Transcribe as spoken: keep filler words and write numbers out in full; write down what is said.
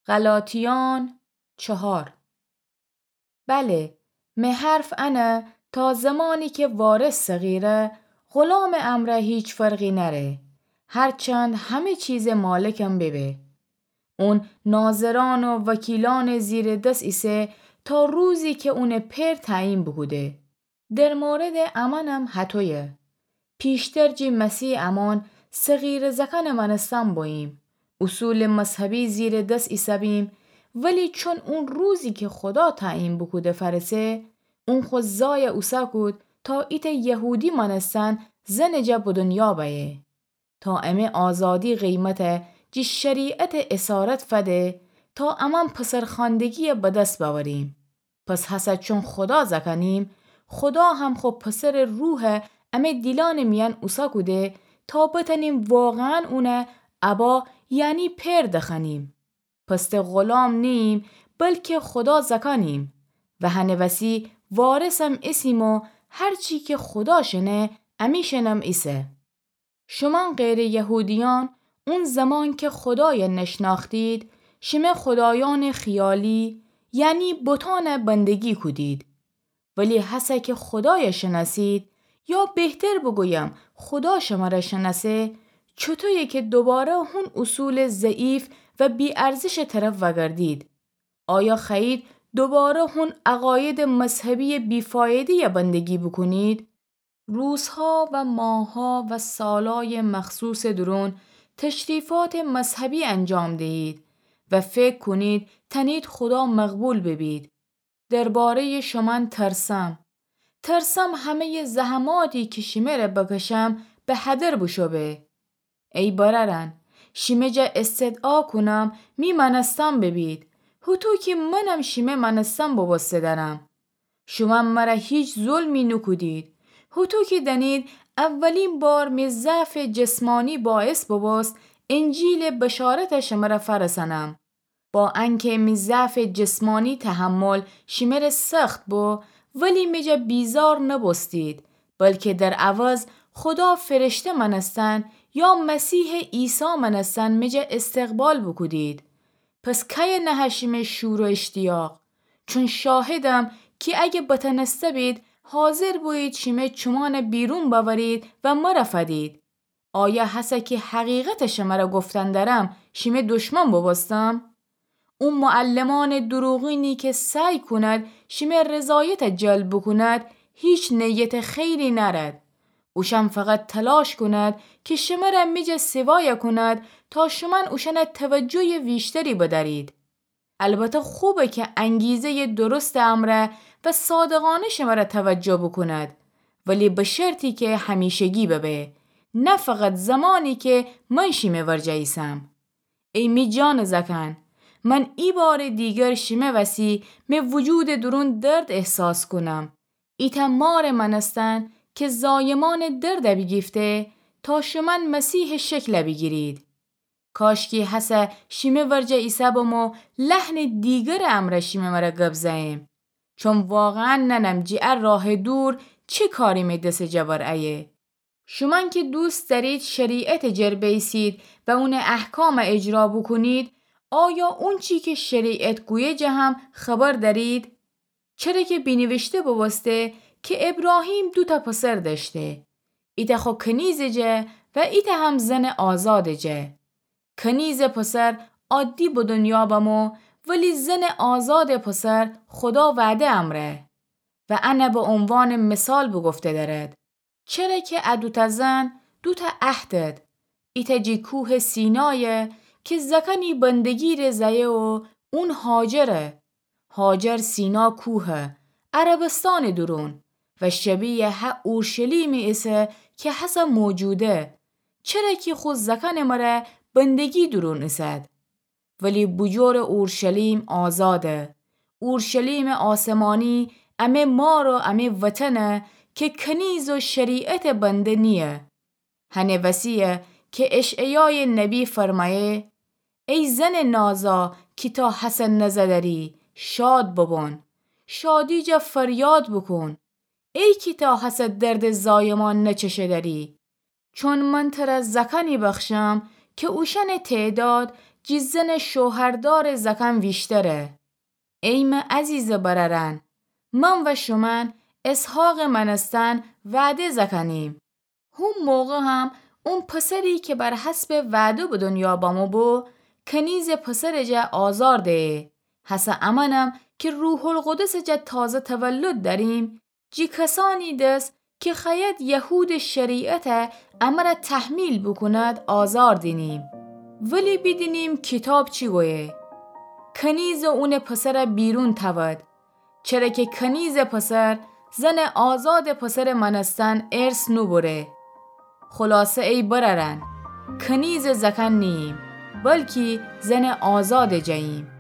غلاطیان چهار. بله، می حرف انه تا زمانی کی وارث صغیره، غلامٚ امرأ هیچ فرقی نأره، هرچند همه چیزٚ مالکم ببه. اون ناظرأن و وکیلأنٚ زیرٚ دس ایسه تا روزی کی اونٚ پئر تعیین بوکوده. در موردٚ امأنم هطویه. پیشتر جی مسیحٚ امأن صغیره زأکأنٚ مأنستن بوییم، اصولٚ مذهبی زیرٚ دس ایسه‌بیم، ولی چون اون روزی کی خودا تعیین بوکوده فأرسه، اون خو زایَ اوسه کود تا ایتأ یهودی مأنستن زنٚ جا به دنیا بأیه. تا امه آزادی قیمتَ جی شریعتٚ اسارت فده، تا امأن پسرخوأندگیَ به دس بأوریم. پس هسه چون خودا زأکأنیم، خودا هم خو پسرٚ روحَ امه دیلأنٚ میأن اوسه کوده، تا بتأنیم واقعاً اونَ ابا، یعنی پئر دخوأنیم. پس ته غلام نیییم، بلکه خودا زأکأنیم. و هنٚ وسی وارثم ایسیم و هر چی کی خودا شنه، امی‌شأنم ایسه. شومأن غیرٚ یهودیأن، اون زمان کی خودایَ نشنأختید، شیمه خودایأنٚ خیالی، یعنی بتأنَ بندگی کودید. ولی هسه کی خودایَ شنأسید، یا بهتر بوگویم خودا شمرَ شنأسه، چوطویه کی دوباره هون اصولٚ ضعیف و بی‌ارزشٚ طرف وأگردید؟ آیا خوأیید دوباره هون عقایدٚ مذهبیٚ بی‌فایده‌یَ بندگی بوکونید؟ روزها و ماهها و سالایٚ مخصوصٚ دورون تشریفاتٚ مذهبی انجام دیهید و فکر کونید تأنید خودا مقبول ببید. درباره‌یٚ شومأن ترسم. ترسم همه‌یٚ زحماتی کی شیمه‌ره بکشم به هدر بوشو به. ای برأرأن، شیمه جا استدعا کونم می مأنستن ببید، هوطو کی منم شیمه مأنستن بوبوسته دأرم. شومأن مرَ هیچ ظلمی نوکودید. هوطو کی دأنید، اولین بار می ضعفٚ جسمانی باعث بوبوست انجیلٚ بشارتَ شمرَ فأرسأنم. با انکی می ضعفٚ جسمانی تحمل شیمره سخت بو، ولی می جا بیزار نوبوستید، بلکی در عوض خودا فرشته مأنستن یا مسیحٚ عیسی مأنستن می جا استقبال بوکودید. پس کیه نهه شیمه شور و اشتیاق؟ چون شاهدم کی اگه بتأنسته بید، حاضر بویید شیمه چومأنَ بیرون بأورید و مرَ فدید. آیا هسه کی حقیقتَ شمرَ گفتن دأرم، شیمه دشمن بوبوستم؟ او معلمأنٚ دروغینی کی سعی کونید شیمه رضایتَ جلب بوکونید، هیچ نیتٚ خیری نأرید. اوشأن فقط تلاش کونید کی شمرَ می جا سیوایَ کونید تا شومأن اوشأنَ توجهیٚ ویشتری بدأرید. البته خوبه کی انگیزه‌یٚ درستٚ امرأ و صادقانه شمرَ توجه بوکونید، ولی به شرطی کی همیشگی ببه، نه فقط زمانی کی من شیمه ورجه ایسم. ای می جانٚ زأکأن، من ای بارٚ دیگر شیمه وسی می وجودٚ دورون درد احساس کونم. ایتأ مارٚ مأنستن کی زایمأنٚ دردَ بیگیفته تا شومأن مسیحٚ شکلَ بیگیرید. کاشکی هسه شیمه ورجه ایسه‌بم و لحنٚ دیگرٚ امرأ شیمه مرَ گب زأیم. چون واقعاً نأنم جی ا راهٚ دور چی کاری می دسٚ جا بر ایه. شومأن کی دوست دأرید شریعتٚ جر بیسید و اونٚ احکامَ اجرا بوکونید، آیا اونچی کی شریعت گویه جا هم خبر دأرید؟ چره کی بینیویشته بوبوسته کی ایبراهیم دوتأ پسر دأشته، ایتأ خو کنیزٚ جا و ایتأ هم زنٚ آزادٚ جا. کنیزٚ پسر عادی به دونیا بمو، ولی زنٚ آزادٚ پسر خودا وعده امرأ و انَ به عنوانٚ مثال بوگفته دأرد. چره کی ا دوتأ زن دوتأ عهدد. ایتأ جی کوهٚ سینایه کی زأکأنی بندگی ره زأیه و اون هاجره. هاجر سینا کوهه، عربستانٚ دورون و شبیه هه اورشلیمی ایسه کی هسه موجوده. چره کی خو زأکأنٚ مره بندگی دورون ایسد. ولی بوجورٚ اورشلیم آزاده. اورشلیمٚ آسمانی امه مار و امه وطنه کی کنیز و شریعتٚ بنده نییه. هنٚ وسیه کی اشعیایٚ نبی فرمأیه: ای زنٚ نازا کی تا هسه نزأ دأری، شاد ببون. شادی جا فریاد بوکون. ای کی تا هسه دردٚ زایمان نچشه دأری. چون من تره زأکأنی بخشم کی اوشأنٚ تعداد جی زنٚ شوهردارٚ زأکأن ویشتره. ای مه عزیزٚ برأرأن، من و شومأن اسحاقٚ مأنستن وعده زأکأنیم. هو موقع هم اون پسری کی بر حسبٚ وعده به دنیا بمو بو، کنیزٚ پسرٚ جا آزار دیه. هسه امأنم کی روح‌القدسٚ جا تازه تولد دأریم، جی کسأنی دس کی خوأید یهودٚ شریعت امر تحمیل بوکوند آزار دینیم، ولی بیدینیم کیتاب چی گویه. کنیز اونٚ پسر بیرون تأود، چره کی کنیزٚ پسر زنٚ آزادٚ پسرٚ مأنستن ارث نوبره. خلاصه ای برأرأن، کنیزٚ زأکأن نیییم، بلکی زنٚ آزادٚ جاییم.